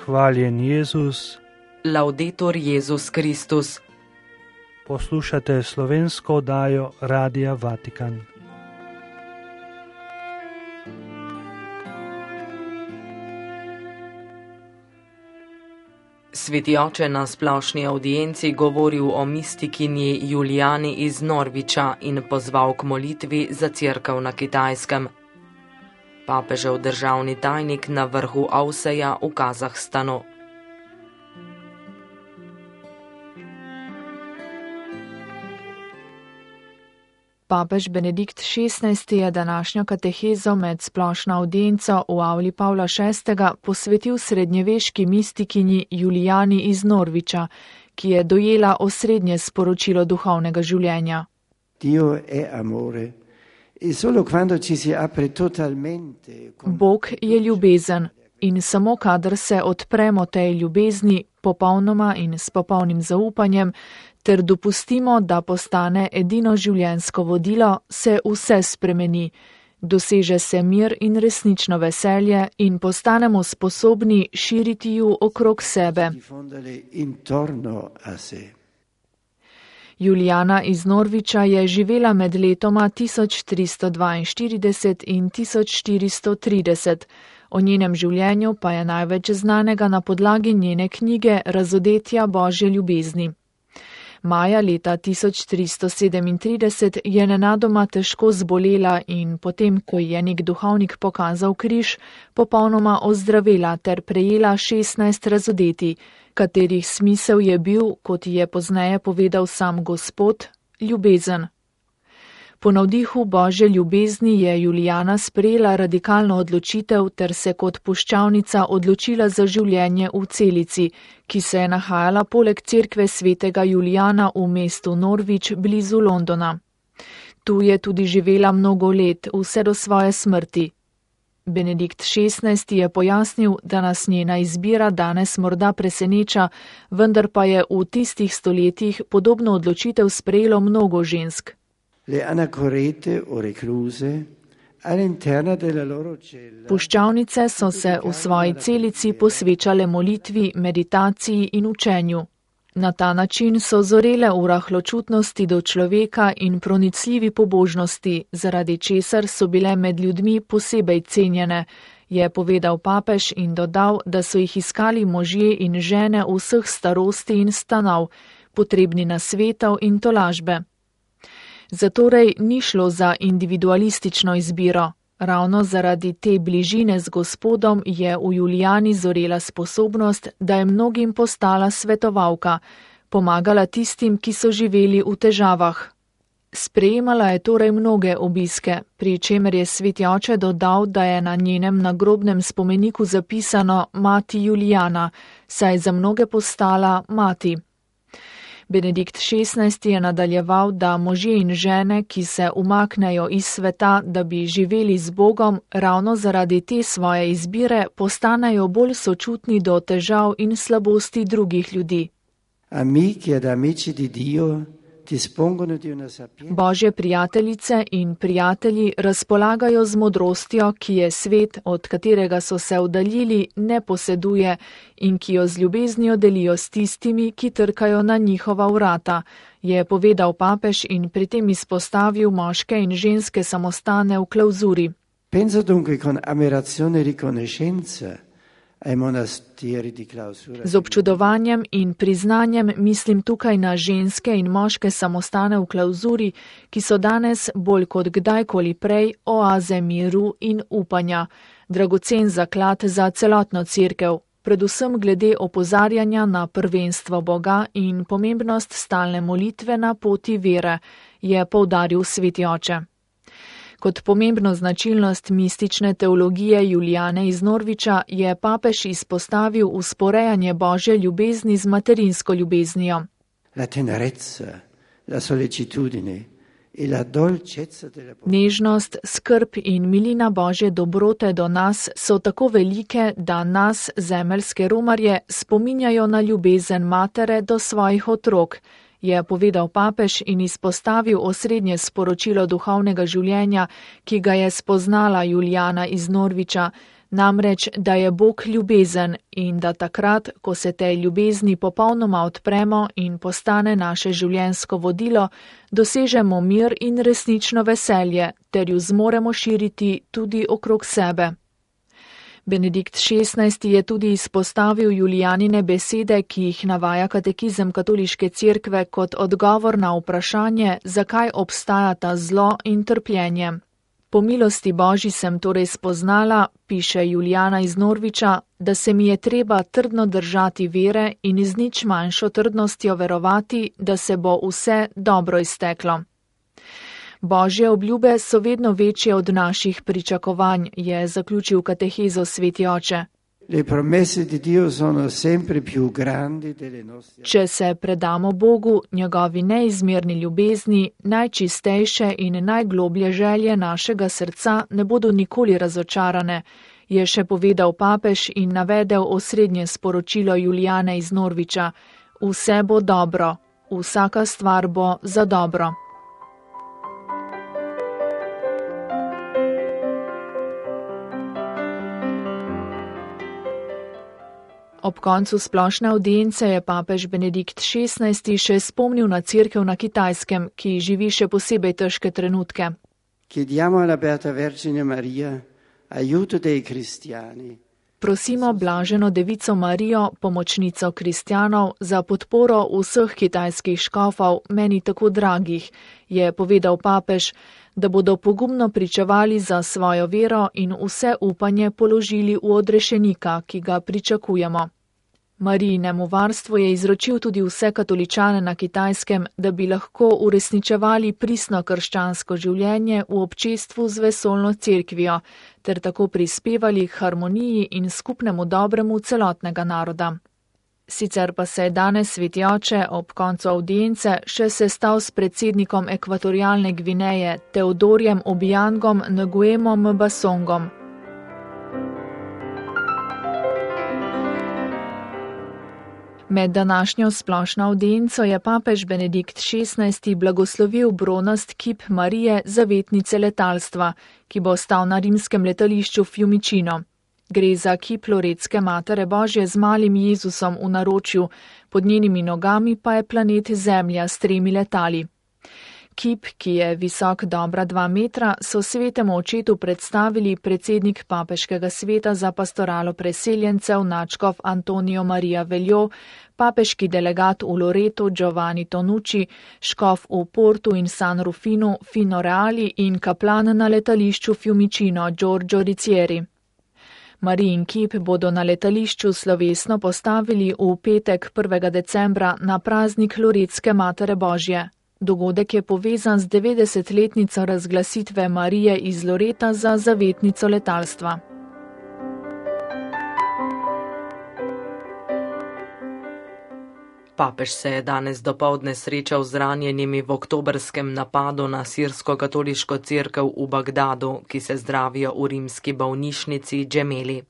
Hvaljen Jezus. Laudetur Jezus Kristus. Poslušate slovensko oddajo Radia Vatikan. Sveti oče na splošni avdienci govoril o mistikinji Julijani iz Norviča in pozval k molitvi za cerkev na Kitajskem. Papežev državni tajnik na vrhu Avseja v Kazahstanu. Papež Benedikt XVI je današnjo katehezo med splošno avdienco v avli Pavla VI. Posvetil srednjeveški mistikinji Julijani iz Norviča, ki je dojela osrednje sporočilo duhovnega življenja. Bog je ljubezen in samo kadar se odpremo tej ljubezni popolnoma in s popolnim zaupanjem, ter dopustimo, da postane edino življenjsko vodilo, se vse spremeni, doseže se mir in resnično veselje in postanemo sposobni širiti ju okrog sebe. Julijana iz Norviča je živela med letoma 1342 in 1430. O njenem življenju pa je največ znanega na podlagi njene knjige Razodetja Božje ljubezni. Maja leta 1337 je nenadoma težko zbolela in potem, ko je nek duhovnik pokazal križ, popolnoma ozdravela ter prejela 16 razodetij, katerih smisel je bil, kot je pozneje povedal sam Gospod, ljubezen. Po navdihu Božje ljubezni je Julijana sprejela radikalno odločitev ter se kot puščavnica odločila za življenje v celici, ki se je nahajala poleg cerkve svetega Julijana v mestu Norvič blizu Londona. Tu je tudi živela mnogo let, vse do svoje smrti. Benedikt XVI je pojasnil, da nas njena izbira danes morda preseneča, vendar pa je v tistih stoletjih podobno odločitev sprejelo mnogo žensk. Puščavnice so se v svoji celici posvečale molitvi, meditaciji in učenju. Na ta način so zorele v rahločutnosti do človeka in pronicljivi pobožnosti, zaradi česar so bile med ljudmi posebej cenjene, je povedal papež in dodal, da so jih iskali možje in žene vseh starosti in stanov, potrebni nasvetov in tolažbe. Zatorej ni šlo za individualistično izbiro. Ravno zaradi te bližine z Gospodom je v Julijani zorela sposobnost, da je mnogim postala svetovalka, pomagala tistim, ki so živeli v težavah. Sprejemala je torej mnoge obiske, pri čemer je sveti oče dodal, da je na njenem nagrobnem spomeniku zapisano Mati Julijana, saj je za mnoge postala mati. Benedikt XVI je nadaljeval, da možje in žene, ki se umaknejo iz sveta, da bi živeli z Bogom, ravno zaradi te svoje izbire postanejo bolj sočutni do težav in slabosti drugih ljudi. Božje prijateljice in prijatelji razpolagajo z modrostjo, ki je svet, od katerega so se oddaljili, ne poseduje in ki jo z ljubeznijo delijo s tistimi, ki trkajo na njihova vrata, je povedal papež in pri tem izpostavil moške in ženske samostane v klauzuri. Z občudovanjem in priznanjem mislim tukaj na ženske in moške samostane v klauzuri, ki so danes bolj kot kdajkoli prej oaze miru in upanja, dragocen zaklad za celotno cerkev, predvsem glede opozarjanja na prvenstvo Boga in pomembnost stalne molitve na poti vere, je poudaril sveti oče. Kot pomembno značilnost mistične teologije Julijane iz Norviča je papež izpostavil usporejanje Božje ljubezni z materinsko ljubeznijo. Nežnost, skrb in milina Božje dobrote do nas so tako velike, da nas, zemeljske romarje, spominjajo na ljubezen matere do svojih otrok, je povedal papež in izpostavil osrednje sporočilo duhovnega življenja, ki ga je spoznala Julijana iz Norviča, Namreč, da je Bog ljubezen in da takrat, ko se tej ljubezni popolnoma odpremo in postane naše življenjsko vodilo, dosežemo mir in resnično veselje, ter ju zmoremo širiti tudi okrog sebe. Benedikt XVI. Je tudi izpostavil Julijanine besede, ki jih navaja katekizem katoliške cerkve kot odgovor na vprašanje, zakaj obstajata zlo in trpljenje. Po milosti Božji sem torej spoznala, piše Julijana iz Norviča, da se mi je treba trdno držati vere in z nič manjšo trdnostjo verovati, da se bo vse dobro izteklo. Božje obljube so vedno večje od naših pričakovanj, je zaključil katehezo sveti oče. Če se predamo Bogu, njegovi neizmerni ljubezni, najčistejše in najgloblje želje našega srca ne bodo nikoli razočarane, je še povedal papež in navedel osrednje sporočilo Julijane iz Norviča. Vse bo dobro, vsaka stvar bo za dobro. Ob koncu splošne avdience je papež Benedikt XVI. Še spomnil na cerkev na Kitajskem, ki živi še posebej težke trenutke. Prosimo blaženo devico Marijo, pomočnico kristjanov, za podporo vseh kitajskih škofov, meni tako dragih, je povedal papež, da bodo pogumno pričevali za svojo vero in vse upanje položili v odrešenika, ki ga pričakujemo. Marijinemu varstvu je izročil tudi vse katoličane na Kitajskem, da bi lahko uresničevali pristno krščansko življenje v občestvu z vesoljno cerkvijo, ter tako prispevali k harmoniji in skupnemu dobremu celotnega naroda. Sicer pa se je danes sveti oče ob koncu avdience še sestal s predsednikom Ekvatorialne Gvineje Teodorjem Obiangom Nguemom Mbasongom. Med današnjo splošno avdienco je papež Benedikt XVI. Blagoslovil bronast kip Marije, zavetnice letalstva, ki bo stal na rimskem letališču Fiumicino. Gre za kip Loretske Matere Božje z malim Jezusom v naročju, pod njenimi nogami pa je planet Zemlja s 3 letali. Kip, ki je visok dobra 2 metra, so svetemu očetu predstavili predsednik papeškega sveta za pastoralo preseljencev nadškof Antonijo Marija Veljo, papeški delegat v Loretu Giovanni Tonucci, škof v Portu in San Rufinu Fino Reali in kaplan na letališču Fiumicino Giorgio Ricieri. Marijin kip bodo na letališču slovesno postavili v petek 1. decembra na praznik Loretske Matere Božje. Dogodek je povezan z 90-letnico razglasitve Marije iz Loreta za zavetnico letalstva. Papež se je danes dopoldne srečal z ranjenimi v oktobrskem napadu na sirsko-katoliško cerkev v Bagdadu, ki se zdravijo v rimski bolnišnici Džemeli.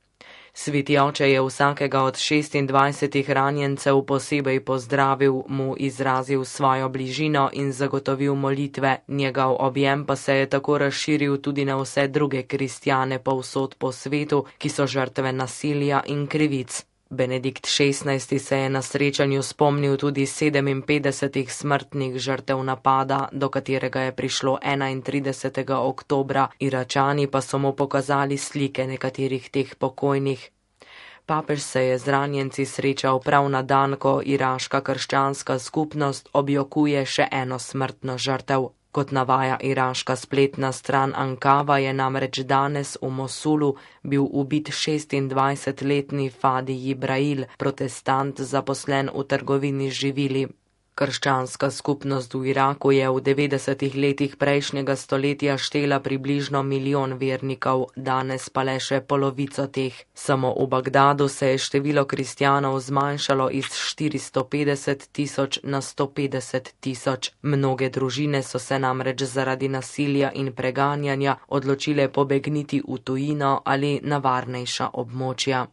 Sveti oče je vsakega od 26 ranjencev posebej pozdravil, mu izrazil svojo bližino in zagotovil molitve, njegov objem pa se je tako razširil tudi na vse druge kristjane povsod po svetu, ki so žrtve nasilja in krivic. Benedikt XVI. Se je na srečanju spomnil tudi 57 smrtnih žrtev napada, do katerega je prišlo 31. oktobra, Iračani pa so mu pokazali slike nekaterih teh pokojnih. Papež se je z ranjenci srečal prav na dan, ko iraška krščanska skupnost objokuje še eno smrtno žrtev. Kot navaja iraška spletna stran Ankava, je namreč danes v Mosulu bil ubit 26-letni Fadi Jibrail, protestant zaposlen v trgovini z živili. Krščanska skupnost v Iraku je v 90 letih prejšnjega stoletja štela približno 1 milijon vernikov, danes pa le še polovico teh. Samo v Bagdadu se je število kristjanov zmanjšalo iz 450 tisoč na 150 tisoč. Mnoge družine so se namreč zaradi nasilja in preganjanja odločile pobegniti v tujino ali na varnejša območja.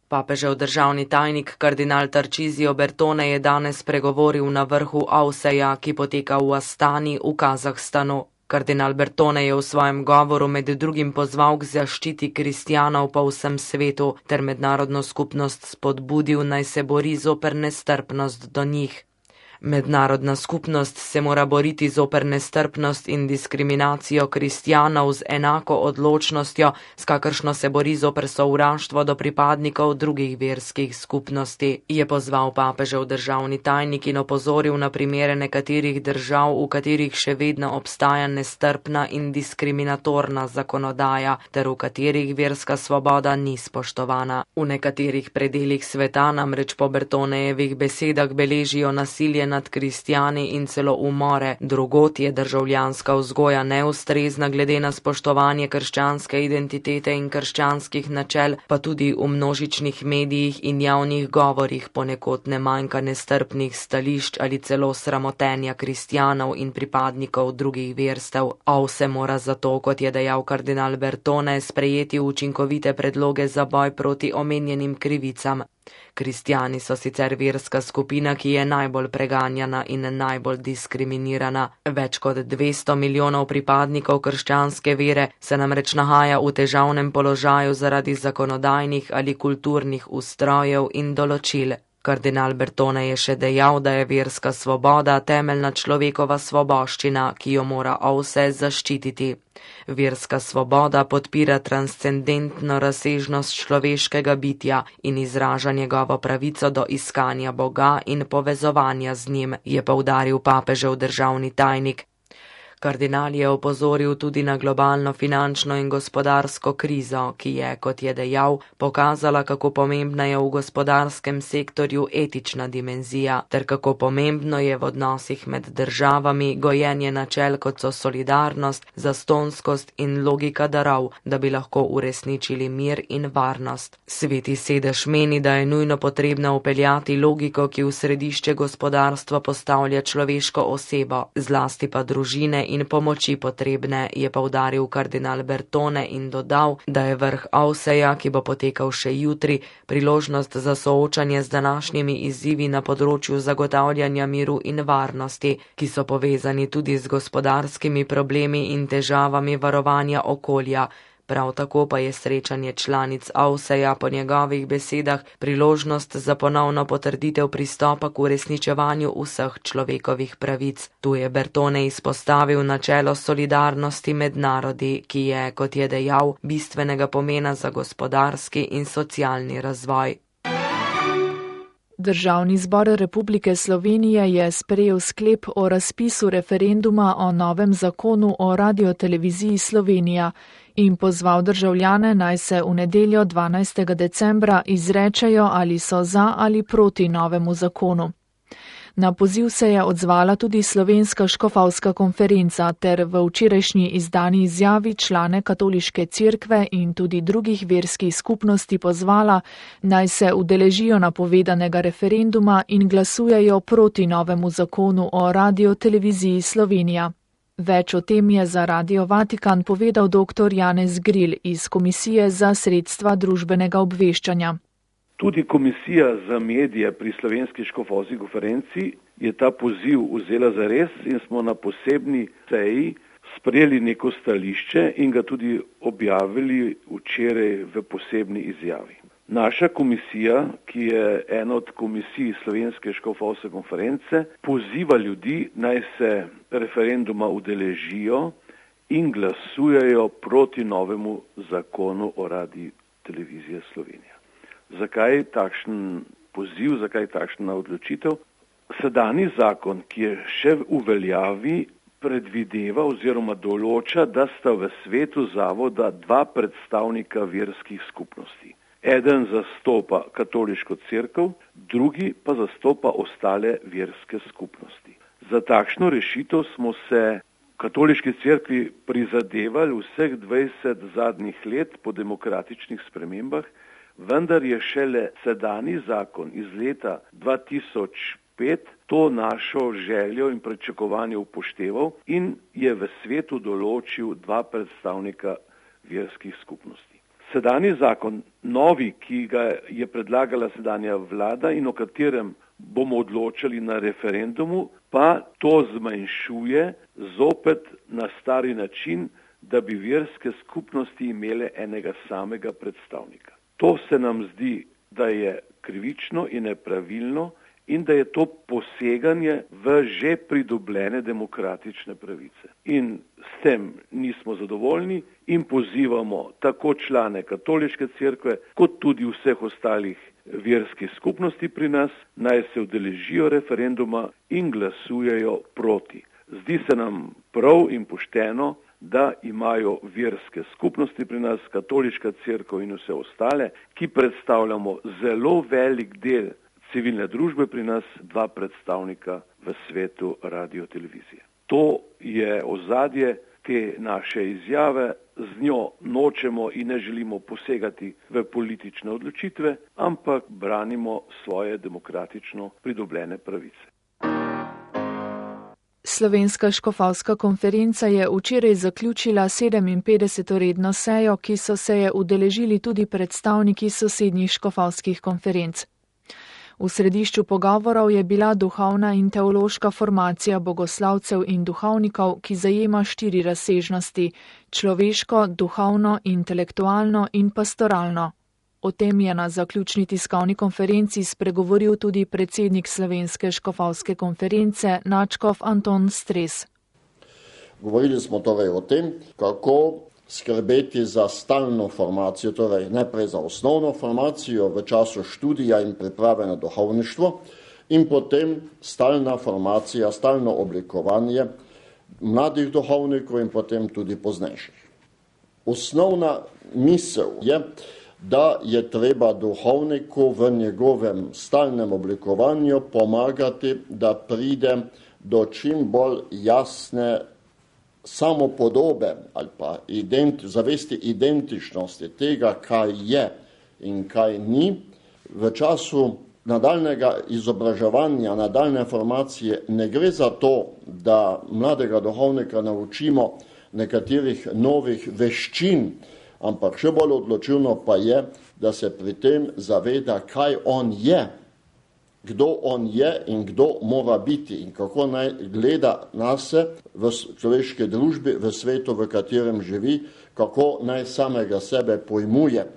Papežev državni tajnik kardinal Tarcísio Bertone je danes pregovoril na vrhu Auseja, ki poteka v Astani v Kazahstanu. Kardinal Bertone je v svojem govoru med drugim pozval k zaščiti kristjanov po vsem svetu ter mednarodno skupnost spodbudil, naj se bori zoper nestrpnost do njih. Mednarodna skupnost se mora boriti zoper nestrpnost in diskriminacijo kristjanov z enako odločnostjo, s kakršno se bori zoper sovraštvo do pripadnikov drugih verskih skupnosti, je pozval papežev državni tajnik in opozoril na primere nekaterih držav, v katerih še vedno obstaja nestrpna in diskriminatorna zakonodaja, ter v katerih verska svoboda ni spoštovana. V nekaterih predelih sveta namreč po Bertonejevih besedah beležijo nasilje nad kristjani in celo umore. Drugod je državljanska vzgoja neustrezna glede na spoštovanje krščanske identitete in krščanskih načel, pa tudi v množičnih medijih in javnih govorih ponekod ne manjka nestrpnih stališč ali celo sramotenja kristjanov in pripadnikov drugih verstev. A vse mora zato, kot je dejal kardinal Bertone, sprejeti učinkovite predloge za boj proti omenjenim krivicam. Kristjani so sicer verska skupina, ki je najbolj preganjana in najbolj diskriminirana. Več kot 200 milijonov pripadnikov krščanske vere se namreč nahaja v težavnem položaju zaradi zakonodajnih ali kulturnih ustrojev in določil. Kardinal Bertone je še dejal, da je verska svoboda temeljna človekova svoboščina, ki jo mora vse zaščititi. Verska svoboda podpira transcendentno razsežnost človeškega bitja in izraža njegovo pravico do iskanja Boga in povezovanja z njim, je poudaril papežev državni tajnik. Kardinal je opozoril tudi na globalno finančno in gospodarsko krizo, ki je, kot je dejal, pokazala, kako pomembna je v gospodarskem sektorju etična dimenzija, ter kako pomembno je v odnosih med državami gojenje načel, kot so solidarnost, zastonskost in logika darov, da bi lahko uresničili mir in varnost. Sveti sedež meni, da je nujno potrebno vpeljati logiko, ki v središče gospodarstva postavlja človeško osebo, zlasti pa družine in pomoči potrebne, je poudaril kardinal Bertone in dodal, da je vrh Auseja, ki bo potekal še jutri, priložnost za soočanje z današnjimi izzivi na področju zagotavljanja miru in varnosti, ki so povezani tudi z gospodarskimi problemi in težavami varovanja okolja. Prav tako pa je srečanje članic Auseja po njegovih besedah priložnost za ponovno potrditev pristopa k uresničevanju vseh človekovih pravic. Tu je Bertone izpostavil načelo solidarnosti med narodi, ki je, kot je dejal, bistvenega pomena za gospodarski in socialni razvoj. Državni zbor Republike Slovenije je sprejel sklep o razpisu referenduma o novem zakonu o radioteleviziji Slovenija in pozval državljane, naj se v nedeljo 12. decembra izrečejo, ali so za ali proti novemu zakonu. Na poziv se je odzvala tudi Slovenska škofovska konferenca ter v včerajšnji izdani izjavi člane katoliške cerkve in tudi drugih verskih skupnosti pozvala, naj se udeležijo napovedanega referenduma in glasujejo proti novemu zakonu o radioteleviziji Slovenija. Več o tem je za Radio Vatikan povedal dr. Janez Gril iz Komisije za sredstva družbenega obveščanja. Tudi Komisija za medije pri Slovenski škofovski konferenci je ta poziv vzela za res in smo na posebni seji sprejeli neko stališče in ga tudi objavili včeraj v posebni izjavi. Naša komisija, ki je ena od komisij Slovenske škofovske konference, poziva ljudi, naj se referenduma udeležijo in glasujejo proti novemu zakonu o radioteleviziji Slovenija. Zakaj takšen poziv, zakaj takšna odločitev? Sedanji zakon, ki je še v veljavi, predvideva oziroma določa, da sta v svetu zavoda dva predstavnika verskih skupnosti. Eden zastopa katoliško cerkev, drugi pa zastopa ostale verske skupnosti. Za takšno rešitev smo se v katoliški cerkvi prizadevali vseh 20 zadnjih let po demokratičnih spremembah, vendar je šele sedanji zakon iz leta 2005 to našo željo in pričakovanje upošteval in je v svetu določil dva predstavnika verskih skupnosti. Sedanji zakon, novi, ki ga je predlagala sedanja vlada in o katerem bomo odločali na referendumu, pa to zmanjšuje zopet na stari način, da bi verske skupnosti imele enega samega predstavnika. To se nam zdi, da je krivično in nepravilno in da je to poseganje v že pridobljene demokratične pravice. In s tem nismo zadovoljni in pozivamo tako člane katoliške cerkve, kot tudi vseh ostalih verskih skupnosti pri nas, naj se udeležijo referenduma in glasujejo proti. Zdi se nam prav in pošteno, da imajo verske skupnosti pri nas, katoliška cerkev in vse ostale, ki predstavljamo zelo velik del civilne družbe pri nas, 2 predstavnika v svetu radiotelevizije. To je ozadje te naše izjave, z njo nočemo in ne želimo posegati v politične odločitve, ampak branimo svoje demokratično pridobljene pravice. Slovenska škofovska konferenca je včeraj zaključila 57. redno sejo, ki so se je udeležili tudi predstavniki sosednjih škofovskih konferenc. V središču pogovorov je bila duhovna in teološka formacija bogoslavcev in duhovnikov, ki zajema 4 razsežnosti: človeško, duhovno, intelektualno in pastoralno. O tem je na zaključni tiskovni konferenci spregovoril tudi predsednik Slovenske škofovske konference nadškof Anton Stres. Govorili smo torej o tem, kako skrbeti za stalno formacijo, torej najprej za osnovno formacijo v času študija in priprave na duhovništvo in potem stalna formacija, stalno oblikovanje mladih duhovnikov in potem tudi poznejših. Osnovna misel je, da je treba duhovniku v njegovem stalnem oblikovanju pomagati, da pride do čim bolj jasne samopodobe ali pa zavesti identičnosti tega, kaj je in kaj ni. V času nadaljnega izobraževanja, nadaljne formacije ne gre za to, da mladega duhovnika naučimo nekaterih novih veščin, ampak še bolj odločilno pa je, da se pri tem zaveda, kaj on je, kdo on je in kdo mora biti in kako naj gleda nase v človeški družbi, v svetu, v katerem živi, kako naj samega sebe pojmuje.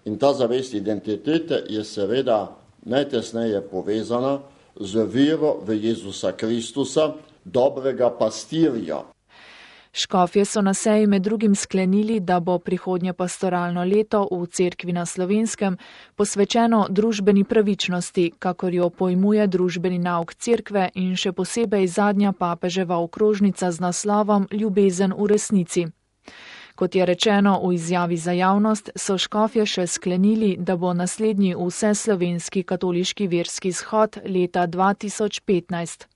In ta zavest identitete je seveda najtesneje povezana z vero v Jezusa Kristusa, dobrega pastirja. Škofje so na seji med drugim sklenili, da bo prihodnje pastoralno leto v Cerkvi na Slovenskem posvečeno družbeni pravičnosti, kakor jo pojmuje družbeni nauk Cerkve in še posebej zadnja papeževa okrožnica z naslovom Ljubezen v resnici. Kot je rečeno v izjavi za javnost, so škofje še sklenili, da bo naslednji vseslovenski katoliški verski shod leta 2015.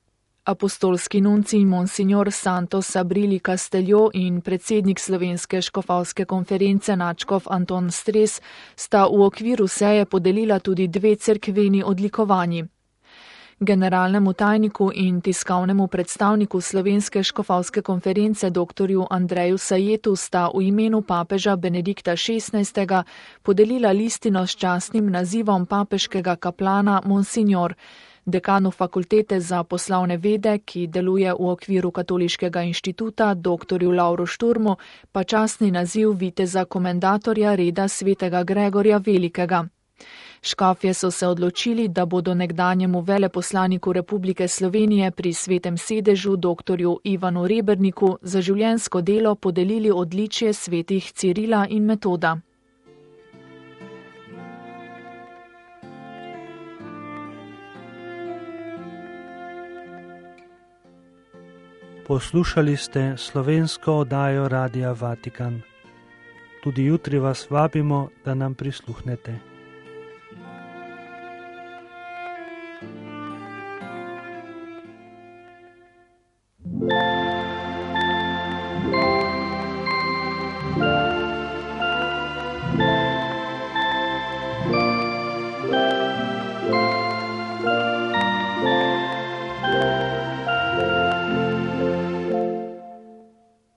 Apostolski nuncij Monsignor Santos Sabrili Casteljo in predsednik Slovenske škofovske konference nadškof Anton Stres sta v okviru seje podelila tudi 2 cerkveni odlikovanji. Generalnemu tajniku in tiskovnemu predstavniku Slovenske škofovske konference dr. Andreju Sajetu sta v imenu papeža Benedikta XVI. Podelila listino s častnim nazivom papeškega kaplana Monsignor, dekanu fakultete za poslovne vede, ki deluje v okviru Katoliškega inštituta, dr. Lovru Šturmu, pa častni naziv viteza komendatorja reda svetega Gregorja Velikega. Škofje so se odločili, da bodo nekdanjemu veleposlaniku Republike Slovenije pri Svetem sedežu dr. Ivanu Reberniku za življenjsko delo podelili odličje svetih Cirila in Metoda. Poslušali ste slovensko oddajo Radia Vatikan. Tudi jutri vas vabimo, da nam prisluhnete.